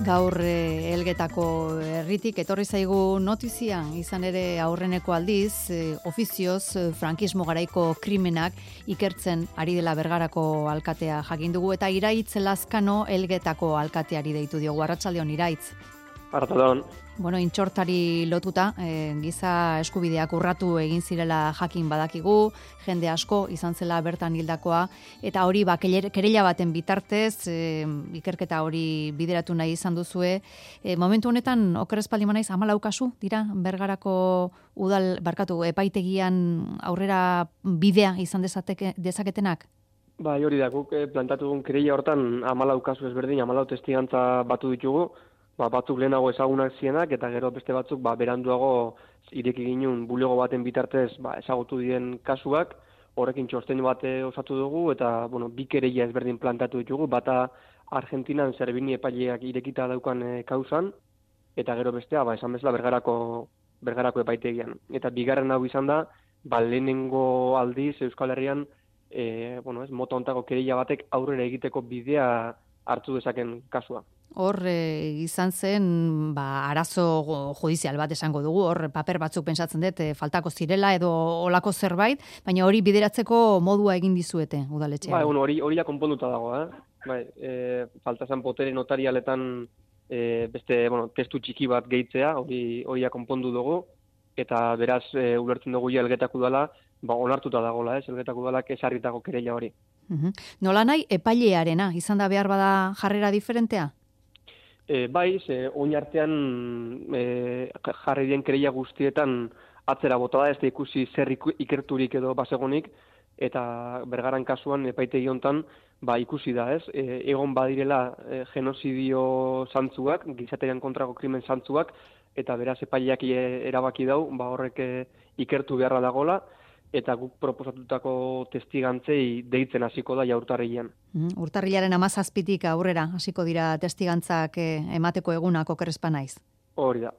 Gaur Elgetako herritik etorri zaigu notizia, izan ere aurreneko aldiz, ofizioz frankismo garaiko krimenak ikertzen ari dela Bergarako alkatea jakin dugu, eta Iraitz Lazkano Elgetako alkateari deitu diogu. Arratsaldeon, Iraitz. Arratsaldeon. Bueno, intxortari lotuta, giza eskubideak urratu egin zirela jakin badakigu, jende asko izan zela bertan hildakoa, eta hori kerela baten bitartez, ikerketa hori bideratu nahi izan duzue. Momentu honetan, oker ez baldin banaiz, 14 kasu dira Bergarako epaitegian aurrera bidea izan dezaketenak? Bai, hori da, guk plantatu dugun kerela hortan 14 kasu ezberdin, 14 testigantza batu ditugu. Batzuk lehenago ezagunak zienak, eta gero beste batzuk beranduago ireki ginen bulego baten bitartez ezagutu diren kasuak, horrekin txosten bat osatu dugu, eta bi kereila ezberdin plantatu ditugu, bata Argentinan Zerbini epaileak irekita daukan kausan, eta gero bestea, esan bezala Bergarako epaitegian. Eta bigarren hau izan da, lehenengo aldiz Euskal Herrian, mota hontako kereila batek aurrera egiteko bidea hartu dezaken kasua. Hor izan zen arazo judizial bat esango dugu, hor paper batzuk pentsatzen dut faltako zirela edo olako zerbait, baina hori bideratzeko modua egin dizuete udaletxean. Hori ja konponduta dago, falta zen botere notarialetan beste testu txiki bat gehitzea, hori ja konpondu dugu, eta beraz ulertzen dugu ja Elgetako udala, onartuta dagoela, Elgetako udalak ezarritako kereila hori. Nola nahi epailearena, izan da behar bada jarrera diferentea? Oin artean jarri dien kereila guztietan atzera bota da, ez da ikusi zer ikerturik edo basegonik, eta Bergaran kasuan epaitegi hontan ikusi da, ez? Egon badirela genozidio zantzuak, gizaterian kontrako krimen zantzuak, eta beraz epaileak erabaki dau, horrek ikertu beharra dagola, eta guk proposatutako testigantzei deitzen hasiko da urtarrilean. Urtarrilaren 17tik aurrera hasiko dira testigantzak emateko egunak, oker ez banaiz. Hori da.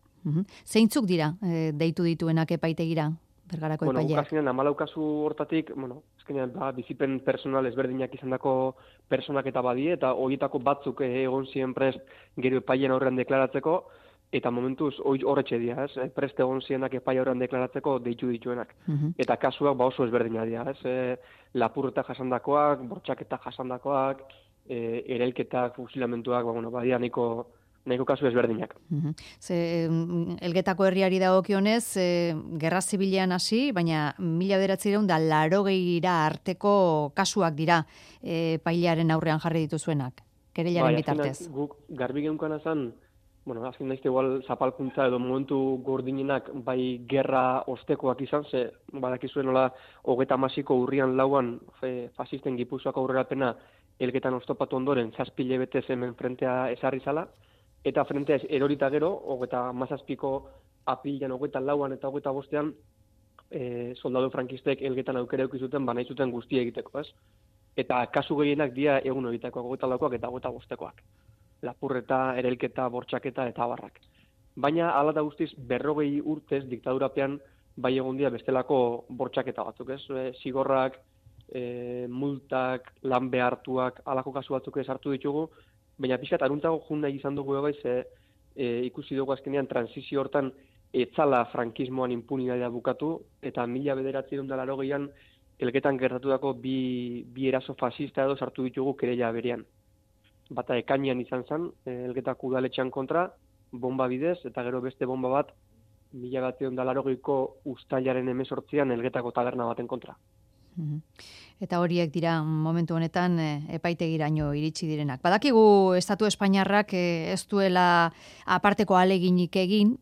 Zeintzuk dira deitu dituenak epaitegira, Bergarako epaileak? Azkenean 14 kasu hortatik, azkenean bizipen personal ezberdinak izandako personak eta badie, eta horietako batzuk egon ziren prest gero epailean aurrean deklaratzeko, eta momentuz horretxe dira, preste egon zienak epai aurrean deklaratzeko deitu dituenak. Eta kasuak oso ezberdina dira, lapurreta jasandakoak, bortxaketa jasandakoak, erailketak, fusilamentuak, badia nahiko kasu ezberdinak. Elgetako herriari dagokionez, gerra zibilean hasi, baina 1980 arteko kasuak dira epailearen aurrean jarri dituzuenak, kerelaren bitartez. Guk garbi geunkan azan, azken daizte igual zapalkuntza edo momentu gordinenak gerra ostekoak izan, badakizuen nola 30ko urrian 4 fasisten Gipuzkoako aurrerapena Elgetan oztopatu ondoren 7 hilabete hemen frentea ezarri zala, eta frentea erorita gero, 37ko apilan 24an eta 25ean soldadu frankistek Elgetan aukera eduki zuten nahi zuten guztia egiteko, ez? Eta kasu gehienak dira egun horitakoak, 24koak eta 25koak. Lapurreta, erailketa, bortxaketa eta abarrak. Baina, hala da guztiz, 40 urtez diktadurapean egon dira bestelako bortxaketa batzuk, ez? Zigorrak, multak, lan behartuak, halako kasu batzuk sartu ditugu, baina pixkat aruntago jun nahi izan dugu ikusi dugu azkenean transizio hortan etzala frankismoan impunitatea bukatu, eta 1980an Elgetan gertatutako bi eraso fasista edo sartu ditugu kereila berean. Bata ekainean izan zen, Elgetako udaletxean kontra, bomba bidez, eta gero beste bomba bat, 1980ko uztailaren 18an Elgetako taberna baten kontra. Eta horiek dira momentu honetan epaitegiraino iritsi direnak. Badakigu Estatu Espainiarrak ez duela aparteko ahaleginik egin,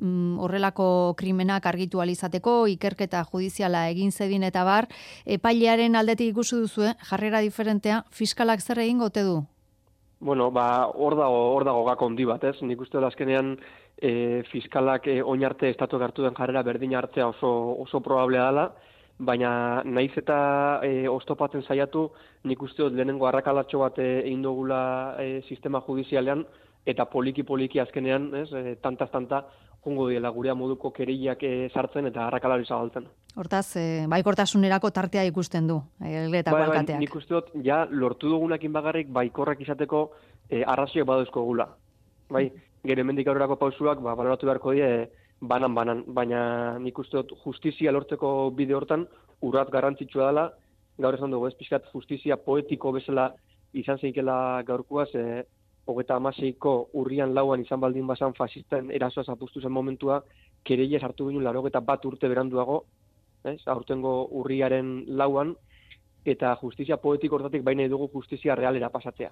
horrelako krimenak argitu alizateko, ikerketa judiziala egin zedin eta bar, epailearen aldetik ikusi duzu, jarrera diferentea, fiskalak zer egingo ote du? Hor dago gako handi bat, ez? Nik uste azkenean fiskalak oin arte estatuak hartu den jarrera berdina hartzea oso probablea dela, baina naiz eta oztopatzen saiatu, nik uste lehenengo arrakalatxo bat egin dugula sistema judizialean, eta poliki azkenean, tantaz-tanta, jongo diela gurea moduko kereilak sartzen eta arrakalari zabaltzen. Hortaz, baikortasunerako tartea ikusten du, Elgetako alkateak. Nik uste dut, lortu dugunakin bagarrik baikorrak izateko arrazioak badauzko gula. gero hemendik aurrerako pausuak baloratu beharko die banan, baina nik uste dut justizia lortzeko bide hortan urrat garrantzitsua dela, gaur esan dugu, pixkat justizia poetiko bezala izan zeikela gaurkoaz, 36ko urrian lauan izan baldin bazan fasisten erasoa zapustu zen momentua, kereia sartu ginen 81 urte beranduago, aurtengo urriaren lauan, eta justizia poetiko hortatik baina dugu justizia realera pasatzea.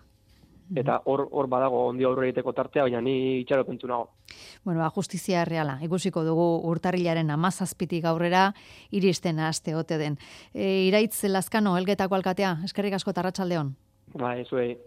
Eta hor badago ondi aurre egiteko tartea, baina ni itxaropentu nago. Bueno, justizia reala. Ikusiko dugu urtarrilaren 17tik aurrera iristen haste ote den. Iraitz Lazkano, Elgetako alkatea, eskerrik asko eta arratsaldeon. Zuei.